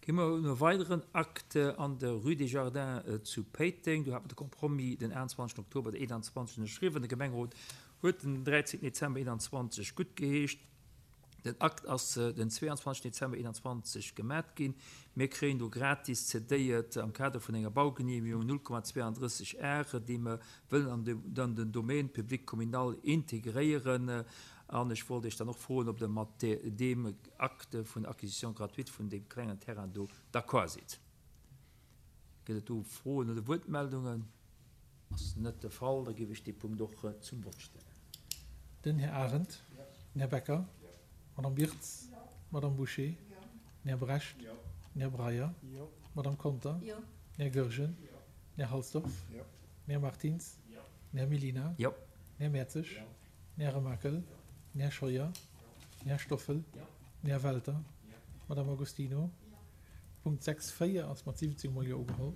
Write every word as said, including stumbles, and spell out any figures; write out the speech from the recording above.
Gi mer un e weideren Acte an der Rue des Jardins zu Péiteng. Do hat mer de Compromis den achtenzwanzegsten Oktober eenanzwanzeg ënnerschriwwen. De Gemengerot huet den dräizéngten Dezember eenanzwanzeg guttgeheescht. Den Akt ass den zweeanzwanzegsten Dezember eenanzwanzeg gemat ginn. Mir kréien do gratis cedéiert am Kader vun enger Baugenehmigung null Komma zweiunddrësseg Are, déi mer wëllen an den Domaine public communal integréieren. An ech wollt Iech dann och froen, ob Der mat deem Acte vun Acquisition gratuite vun deem klengen Terrain do d'accord sidd. Gëtt et do Froen oder Wuertmeldungen? Ass net de Fall. Da géif ech dee Punkt och zum Vott stellen. Den Här Arendt. Den Här Becker. D'Madame Wirtz. D'Madame Bouché. Den Här Brecht. Den Här Breyer. D'Madame Conter. Den Här Goergen. Den Här Halsdorf. Den Här Martins. Den Här Mellina. Den Här Mertzig. Den Här Remakel. Den Här Scheuer. Den Här Stoffel. Den Här Welter. D'Madame Agostino. Punkt sechs véier ass mat siwwenzéng Mol Jo ugeholl.